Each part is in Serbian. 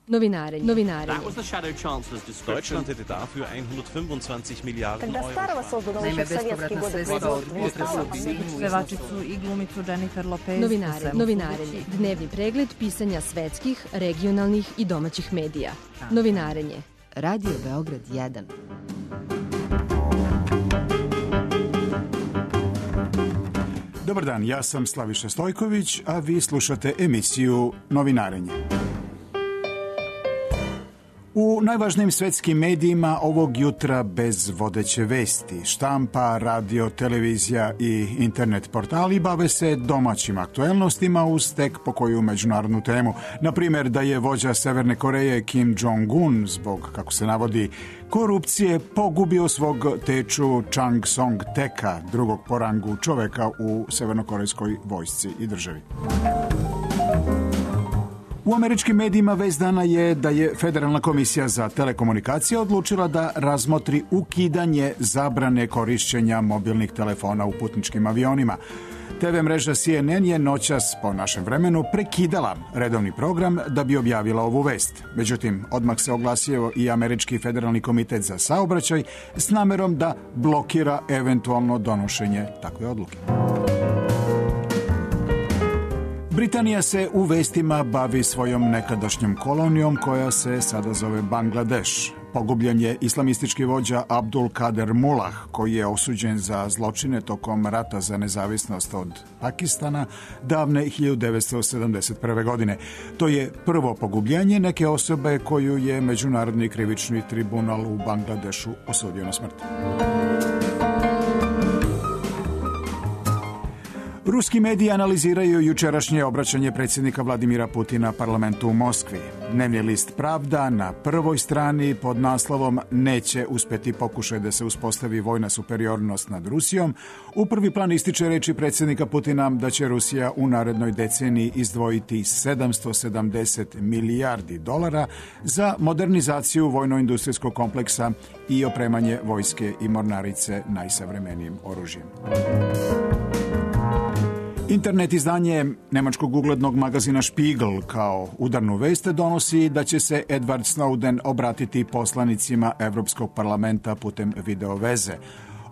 Novinarenje. Deutschland hätte dafür 125 Milijarden Euro. Naime, bespovratna sredstva od pevačicu i glumicu Jennifer Lopez. Novinarenje. Dnevni pregled pisanja svetskih, regionalnih i domaćih medija. Novinarenje. Radio Beograd 1. Dobar dan, ja sam Slaviša Stojković, a vi slušate emisiju Novinarenje. U najvažnijim svetskim medijima ovog jutra bez vodeće vesti. Štampa, radio, televizija i internet portali bave se domaćim aktuelnostima uz tek po koju međunarodnu temu. Na primjer, da je vođa Severne Koreje Kim Jong-un zbog, kako se navodi, korupcije pogubio svog teču Chang Song-teka, drugog po rangu čoveka u severnokorejskoj vojsci i državi. U američkim medijima vest dana je da je Federalna komisija za telekomunikacije odlučila da razmotri ukidanje zabrane korišćenja mobilnih telefona u putničkim avionima. TV mreža CNN je noćas po našem vremenu prekidala redovni program da bi objavila ovu vest. Međutim, odmah se oglasio i Američki federalni komitet za saobraćaj s namerom da blokira eventualno donošenje takve odluke. Britanija se u vestima bavi svojom nekadašnjom kolonijom koja se sada zove Bangladeš. Pogubljen je islamistički vođa Abdul Kader Mullah, koji je osuđen za zločine tokom rata za nezavisnost od Pakistana davne 1971. godine. To je prvo pogubljenje neke osobe koju je Međunarodni krivični tribunal u Bangladešu osudio na smrt. Ruski mediji analiziraju jučerašnje obraćanje predsjednika Vladimira Putina parlamentu u Moskvi. Dnevni list Pravda na prvoj strani pod naslovom "Neće uspjeti pokušaj da se uspostavi vojna superiornost nad Rusijom" u prvi plan ističe reči predsjednika Putina da će Rusija u narednoj deceniji izdvojiti 770 milijardi dolara za modernizaciju vojno-industrijskog kompleksa i opremanje vojske i mornarice najsavremenijim oružjem. Internet izdanje nemačkog uglednog magazina Spiegel kao udarnu vest donosi da će se Edward Snowden obratiti poslanicima Evropskog parlamenta putem videoveze.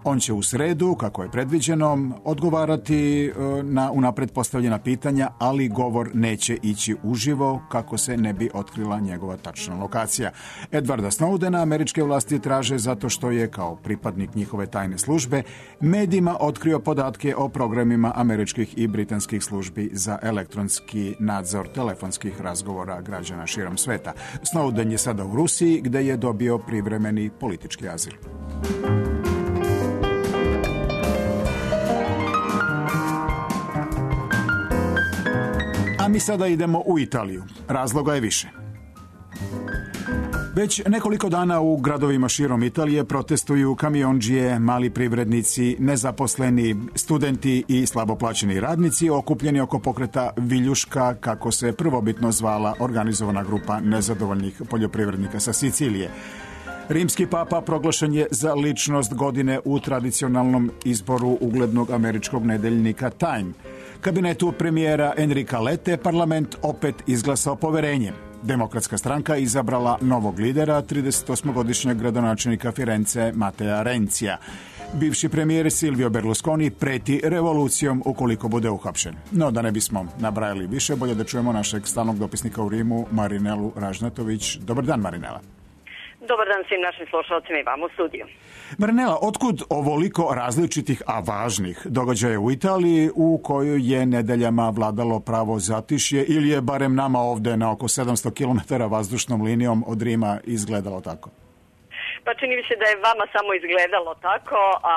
On će u sredu, kako je predviđeno, odgovarati na unapred postavljena pitanja, ali govor neće ići uživo kako se ne bi otkrila njegova tačna lokacija. Edwarda Snowdena američke vlasti traže zato što je, kao pripadnik njihove tajne službe, medijima otkrio podatke o programima američkih i britanskih službi za elektronski nadzor telefonskih razgovora građana širom sveta. Snowden je sada u Rusiji, gde je dobio privremeni politički azil. A mi sada idemo u Italiju. Razloga je više. Već nekoliko dana u gradovima širom Italije protestuju kamiondžije, mali privrednici, nezaposleni, studenti i slabo plaćeni radnici okupljeni oko pokreta Viljuška, kako se prvobitno zvala organizovana grupa nezadovoljnih poljoprivrednika sa Sicilije. Rimski papa proglašen je za ličnost godine u tradicionalnom izboru uglednog američkog nedeljnika Time. Kabinetu premijera Enrika Lette parlament opet izglasao poverenje. Demokratska stranka izabrala novog lidera, 38-godišnjeg gradonačelnika Firence Matea Renzija. Bivši premijer Silvio Berlusconi preti revolucijom ukoliko bude uhapšen. No, da ne bismo nabrajali više, bolje da čujemo našeg stalnog dopisnika u Rimu, Marinelu Ražnatović. Dobar dan, Marinela. Dobar dan svim našim slušalcima i vam u studiju. Marinela, otkud ovoliko različitih, a važnih događaja u Italiji u kojoj je nedeljama vladalo pravo zatišje ili je barem nama ovde na oko 700 km vazdušnom linijom od Rima izgledalo tako? Pa čini mi se da je vama samo izgledalo tako, a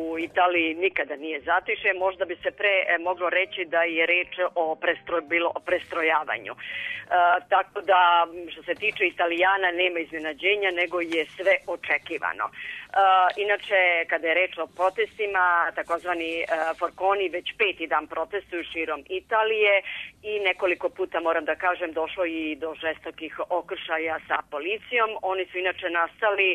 u Italiji nikada nije zatišje. Možda bi se pre moglo reći da je reč o prestrojavanju. Tako da, što se tiče Italijana, nema iznenađenja, nego je sve očekivano. Inače, kada je reč o protestima, takozvani Forconi već 5. dan protestuju širom Italije i nekoliko puta, moram da kažem, došlo i do žestokih okršaja sa policijom. Oni su inače nastali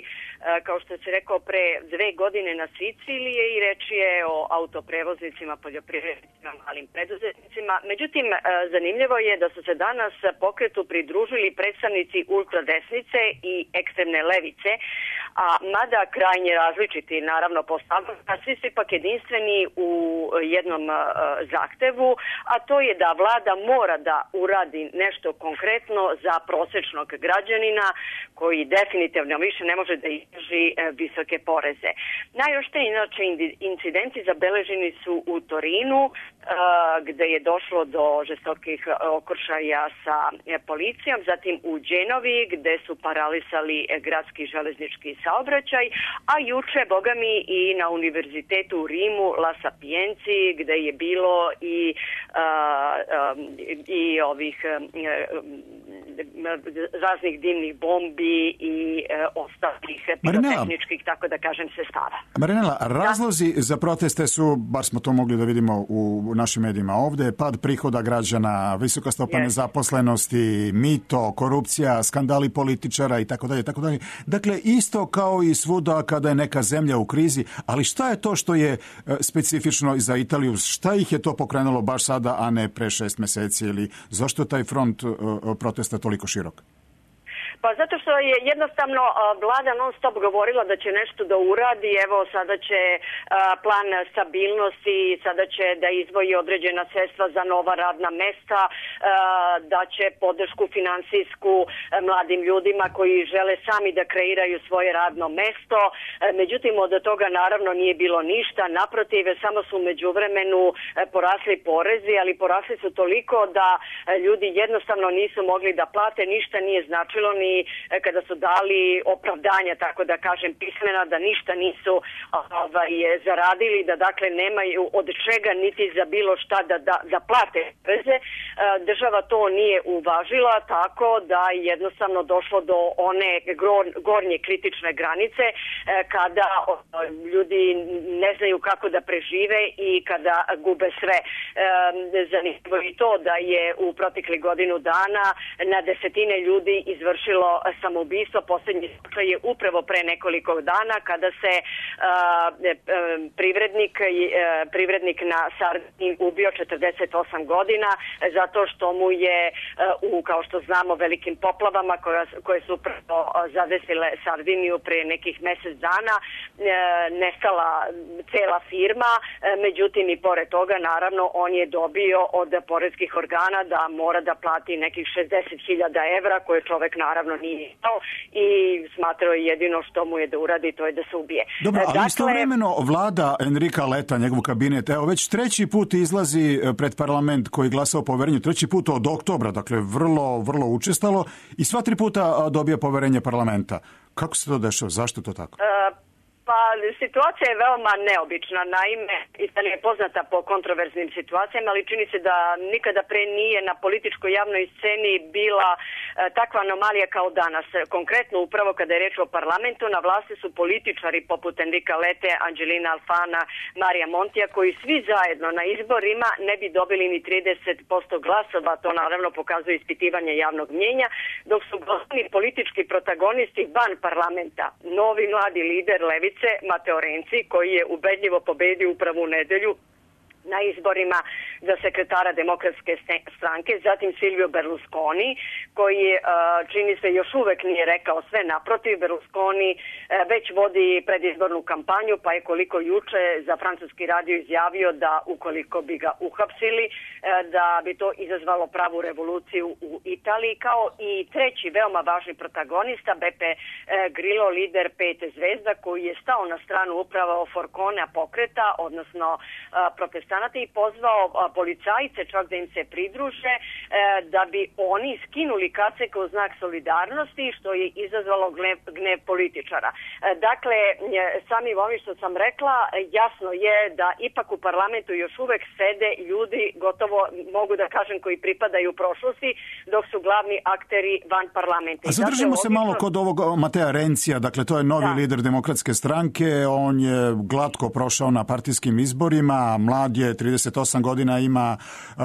kao što se rekao, pre 2 godine na Sicilije i reč je o autoprevoznicima, poljoprivrednicima, malim preduzetnicima. Međutim, zanimljivo je da su se danas pokretu pridružili predstavnici ultradesnice i ekstremne levice, a mada krajnje različiti, naravno, postavljaju, a svi su ipak jedinstveni u jednom zahtevu, a to je da vlada mora da uradi nešto konkretno za prosečnog građanina koji definitivno više ne može da izdrži visoke poreze. Najoštriji inače incidenti zabeleženi su u Torinu, gde je došlo do žestokih okršaja sa policijom, zatim u Đenovi gde su paralisali gradski železnički saobraćaj, a juče, bogami, i na univerzitetu u Rimu, La Sapienci, gde je bilo i ovih raznih dimnih bombi i ostalih pirotehničkih, tako da kažem, sestava. Marinela, razlozi za proteste su, bar smo to mogli da vidimo u našim medijima ovde, pad prihoda građana, visoka stopa nezaposlenosti, mito, korupcija, skandali političara i tako dalje, tako dalje. Dakle, isto kao i svuda kada je neka zemlja u krizi, ali šta je to što je specifično za Italiju? Šta ih je to pokrenulo baš sada, a ne pre 6 meseci? Ili zašto je taj front protesta toliko širok? Pa zato što je jednostavno vlada non stop govorila da će nešto da uradi, evo sada će plan stabilnosti, sada će da izdvoji određena sredstva za nova radna mesta, da će podršku finansijsku mladim ljudima koji žele sami da kreiraju svoje radno mesto. Međutim, od toga naravno nije bilo ništa, naprotiv, samo su u međuvremenu porasli porezi, ali porasli su toliko da ljudi jednostavno nisu mogli da plate, ništa nije značilo ni kada su dali opravdanja, tako da kažem, pismena, da ništa nisu zaradili, da dakle nemaju od čega niti za bilo šta da plate poreze. Država to nije uvažila, tako da jednostavno došlo do one gornje kritične granice kada ljudi ne znaju kako da prežive i kada gube sve. Zanimljivo i to da je u protekli godinu dana na desetine ljudi izvršilo samoubistvo. Posljednji slučaj je upravo pre nekoliko dana kada se privrednik na Sardiniji ubio 48 godina zato što mu je kao što znamo, velikim poplavama koje su upravo zadesile Sardiniju pre nekih mesec dana nestala cela firma. Međutim, i pored toga, naravno, on je dobio od poreskih organa da mora da plati nekih 60.000 evra koje čovek naravno nije imao i smatrao je jedino što mu je da uradi, to je da se ubije. Dobro, ali istovremeno vlada Enrika Letta, njegov kabinet, evo već 3. put izlazi pred parlament koji glasa o poverenju, 3. put od oktobra, dakle vrlo učestalo i sva 3 puta dobija poverenje parlamenta. Kako se to dešava? Zašto to tako? Pa situacija je veoma neobična. Naime, Italija je poznata po kontroverznim situacijama, ali čini se da nikada pre nije na političkoj javnoj sceni bila takva anomalija kao danas. Konkretno, upravo kada je reč o parlamentu, na vlasti su političari poput Enrika Lette, Angelina Alfana, Marija Montija, koji svi zajedno na izborima ne bi dobili ni 30% glasova. To naravno pokazuje ispitivanje javnog mnjenja, dok su glavni politički protagonisti van parlamenta, novi mladi lider levice Matteo Renzi, koji je ubedljivo pobedio upravo u nedelju na izborima za sekretara Demokratske stranke, zatim Silvio Berlusconi, koji čini se još uvek nije rekao sve, naprotiv. Berlusconi već vodi predizbornu kampanju, pa je koliko juče za francuski radio izjavio da ukoliko bi ga uhapsili, da bi to izazvalo pravu revoluciju u Italiji, kao i treći veoma važni protagonista, Beppe Grillo, lider 5 zvezda, koji je stao na stranu upravo Forconea pokreta, odnosno protestanata, i pozvao policajce čak da im se pridruže da bi oni skinuli kaceke u znak solidarnosti, što je izazvalo gnev političara. Dakle, samim ovim što sam rekla, jasno je da ipak u parlamentu još uvek sede ljudi, gotovo mogu da kažem, koji pripadaju prošlosti, dok su glavni akteri van parlamenta. A zadržimo se malo kod ovog Mattea Renzija, dakle to je novi lider Demokratske stranke, on je glatko prošao na partijskim izborima, mlad je, 38 godina ima,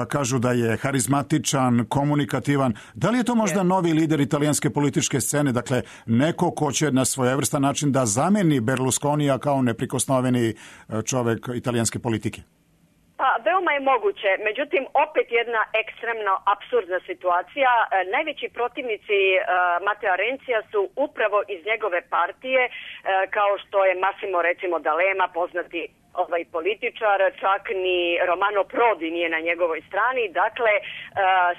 kažu da je harizmatičan, komunikativan. Da li je to možda novi lider italijanske političke scene, dakle neko ko će na svojevrstan način da zameni Berlusconija kao neprikosnoveni čovek italijanske politike? Pa, veoma je moguće. Međutim, opet jedna ekstremno apsurdna situacija. Najveći protivnici Matteo Renzija su upravo iz njegove partije, kao što je Massimo, recimo, D'Alema, poznati političar, čak ni Romano Prodi nije na njegovoj strani. Dakle,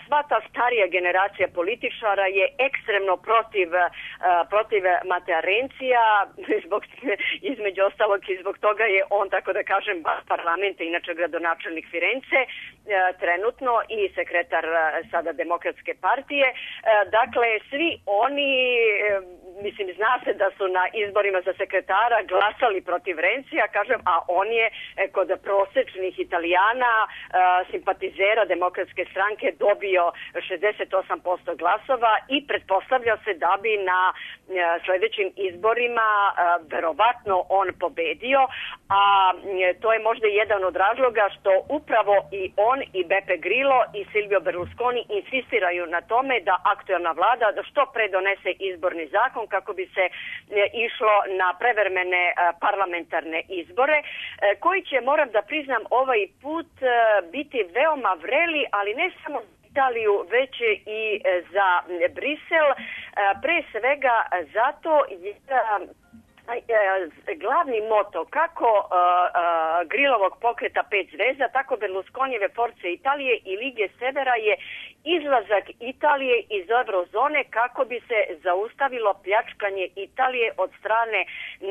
sva ta starija generacija političara je ekstremno protiv Matea Renzija, između ostalog i zbog toga je on, tako da kažem, parlamenta, inače gradonačelnik Firence, trenutno i sekretar sada Demokratske partije. Dakle, svi oni, mislim, zna se da su na izborima za sekretara glasali protiv Renzija, kažem, a on je kod prosečnih Italijana, simpatizera Demokratske stranke, dobio 68% glasova i pretpostavlja se da bi na sledećim izborima verovatno on pobedio, a to je možda jedan od razloga što upravo i on i Beppe Grillo i Silvio Berlusconi insistiraju na tome da aktuelna vlada da što pre donese izborni zakon kako bi se išlo na prevremene parlamentarne izbore, koji će, moram da priznam, ovaj put biti veoma vreli, ali ne samo Italiju, već i za Brisel, pre svega zato jer glavni moto kako Grillovog pokreta 5 zvezda, tako Berlusconijeve Forze Italije i Lige Severa je izlazak Italije iz eurozone kako bi se zaustavilo pljačkanje Italije od strane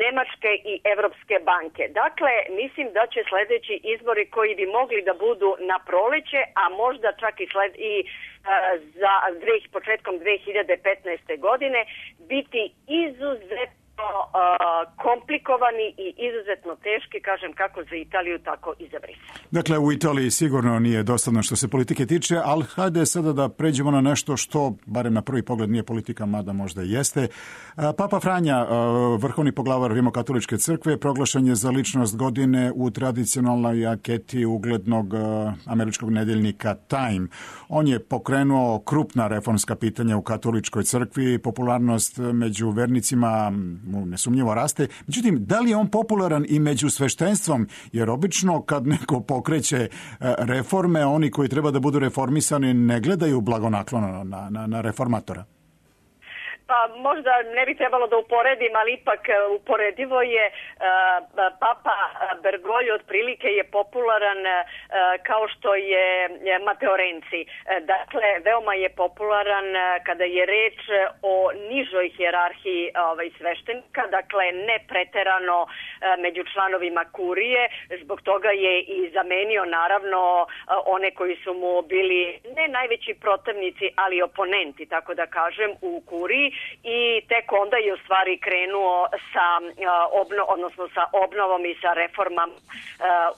Nemačke i Evropske banke. Dakle, mislim da će sledeći izbori koji bi mogli da budu na proleće, a možda čak i za početkom 2015. godine biti izuzetno komplikovani i izuzetno teški, kažem, kako za Italiju, tako i za Brisel. Dakle, u Italiji sigurno nije dosadno što se politike tiče, ali hajde sada da pređemo na nešto što, barem na prvi pogled, nije politika, mada možda i jeste. Papa Franja, vrhovni poglavar Rimokatoličke crkve, proglašen je za ličnost godine u tradicionalnoj anketi uglednog američkog nedeljnika Time. On je pokrenuo krupna reformska pitanja u katoličkoj crkvi, popularnost među vernicima nesumnjivo raste. Međutim, da li je on popularan i među sveštenstvom? Jer obično kad neko pokreće reforme, oni koji treba da budu reformisani ne gledaju blagonaklono na reformatora. Pa možda ne bi trebalo da uporedim, ali ipak uporedivo je. Papa Bergoglio otprilike je popularan kao što je Matteo Renzi. Dakle, veoma je popularan kada je reč o nižoj hijerarhiji sveštenika, dakle ne preterano među članovima kurije. Zbog toga je i zamenio naravno one koji su mu bili ne najveći protivnici, ali oponenti, tako da kažem, u kuriji. I tek onda je u stvari krenuo sa obnovom i sa reformama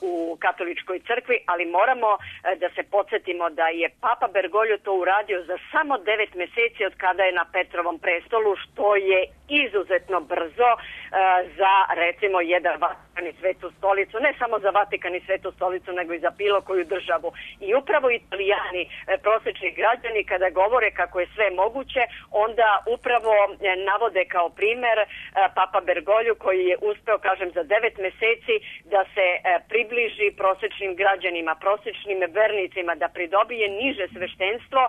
u katoličkoj crkvi, ali moramo da se podsjetimo da je Papa Bergoglio to uradio za samo 9 meseci od kada je na Petrovom prestolu, što je izuzetno brzo za, recimo, jedan Vatikan i Svetu stolicu, ne samo za Vatikan i Svetu stolicu, nego i za bilo koju državu. I upravo Italijani, prosečni građani, kada govore kako je sve moguće, onda upravo navode kao primer Papa Bergoglio koji je uspeo, kažem, za 9 meseci da se približi prosečnim građanima, prosečnim vernicima, da pridobije niže sveštenstvo,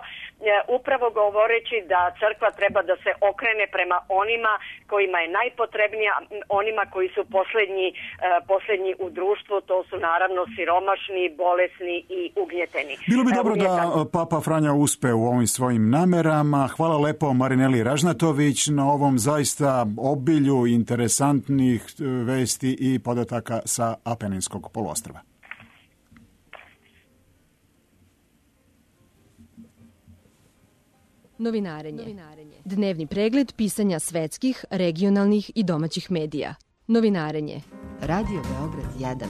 upravo govoreći da crkva treba da se okrene prema onima kojima je najpotrebnija, onima koji su poslednji u društvu, to su naravno siromašni, bolesni i ugnjeteni. Bilo bi dobro da Papa Franja uspe u ovim svojim namerama. Hvala lepo Marineli Ražnatović na ovom zaista obilju interesantnih vesti i podataka sa Apeninskog poluostrva. Novinarenje. Dnevni pregled pisanja svetskih, regionalnih i domaćih medija. Novinarenje. Radio Beograd 1.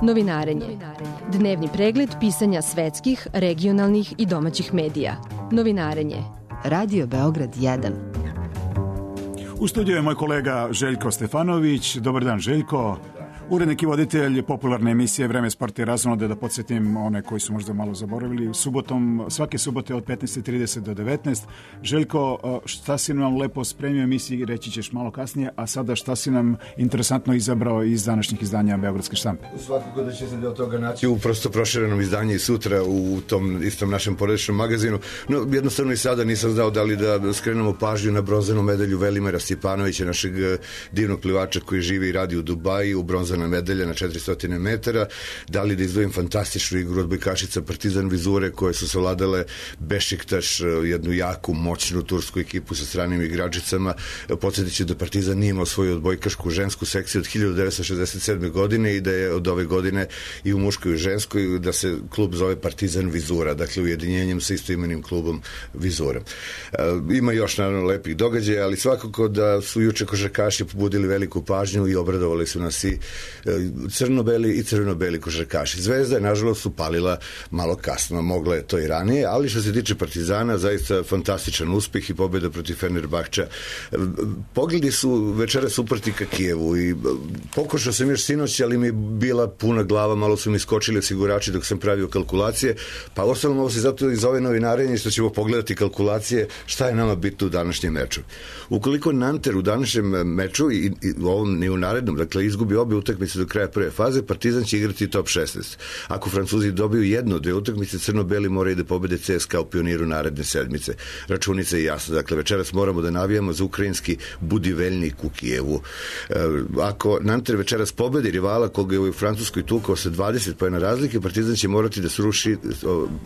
Novinarenje. Dnevni pregled pisanja svetskih, regionalnih i domaćih medija. Novinarenje. Radio Beograd 1. U studiju je moj kolega Željko Stefanović. Dobar dan, Željko. Urednik i voditelj popularne emisije Vreme, sport i razonode, da podsjetim one koji su možda malo zaboravili, svake subote od 15:30 do 19. Željko, šta si nam lepo spremio emisiji, reći ćeš malo kasnije, a sada šta si nam interesantno izabrao iz današnjih izdanja Beogradske štampe? Svakako da će se deo toga naći u prosto proširenom izdanju i sutra u tom istom našem porodičnom magazinu. No, jednostavno i sada nisam znao da li da skrenemo pažnju na bronzanu medalju Velimira Stjepanovića, našeg divnog plivača koji živi i radi u Dubaji, u bronzana medalja na 400 metara, da li da izdvojim fantastičnu igru odbojkašica Partizan Vizure koje su savladale Bešiktaš, jednu jaku, moćnu tursku ekipu sa stranim igračicama. Podsjetit ću da Partizan nije imao svoju odbojkašku žensku sekciju od 1967. godine i da je od ove godine i u muškoj i u ženskoj, da se klub zove Partizan Vizura, dakle ujedinjenjem sa istoimenim klubom Vizura. Ima još naravno lepih događaja, ali svakako da su juče košarkaši pobudili veliku pažnju i obradovali su nas i crno-beli i crveno-beli košarkaši. Zvezda je nažalost upalila malo kasno, mogla je to i ranije, ali što se tiče Partizana, zaista fantastičan uspeh i pobjeda protiv Fenerbahča. Pogledi su večeras uprti ka Kijevu i pokušao sam još sinoć, ali mi je bila puna glava, malo su mi skočili osigurači dok sam pravio kalkulacije, pa ostalo ovo se zato iz ove novinarenje što ćemo pogledati kalkulacije šta je nama bitno u današnjem meču. Ukoliko Nanter u današnjem meču i u ovom ni u narednom, dakle izgubi obe utakmice do kraja prve faze, Partizan će igrati top 16. Ako Francuzi dobiju jednu od dve utakmice, crno-beli moraju da pobede CSKA u Pioniru naredne sedmice. Računica je jasna. Dakle, večeras moramo da navijamo za ukrajinski Budiveljnik u Kijevu. Ako Nanter večeras pobedi rivala koga je u Francuskoj tukao sa 20 poena razlike, Partizan će morati da sruši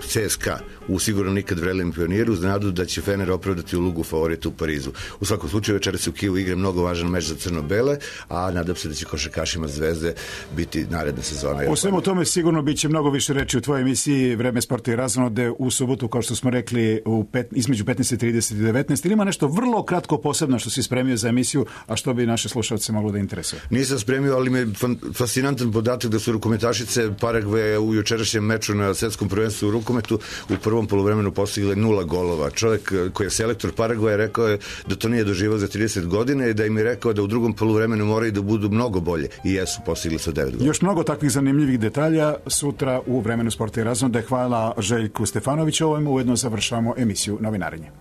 CSKA u sigurno nikad vrelem Pioniru uz nadu da će Fener opravdati ulogu favorita u Parizu. U svakom slučaju večeras u Kijevu igra mnogo važan meč za crno-bele, a nadam se da će košarkašima Zvezde biti naredna sezona. O svemu tome sigurno biće mnogo više reči u tvojoj emisiji Vreme, sporta i razonode u subotu, kao što smo rekli, između 15:30 i 19. Ili ima nešto vrlo kratko posebno što si spremio za emisiju, a što bi naše slušalce moglo da interesuje? Nisam spremio, ali me fascinantan podatak da su rukometašice Paragvaja u jučerašnjem meču na svetskom prvenstvu u rukometu u prvom poluvremenu postigle 0 golova. Čovjek koji je selektor Paragvaja rekao je da to nije doživao za 30 godina i da im je rekao da u drugom poluvremenu moraju da budu mnogo bolje i jesu, postigli su 9 godina. Još mnogo takvih zanimljivih detalja sutra u Vremenu, sporta i razonode. Hvala Željku Stefanoviću. Ovim ujedno završavamo emisiju Novinarenje.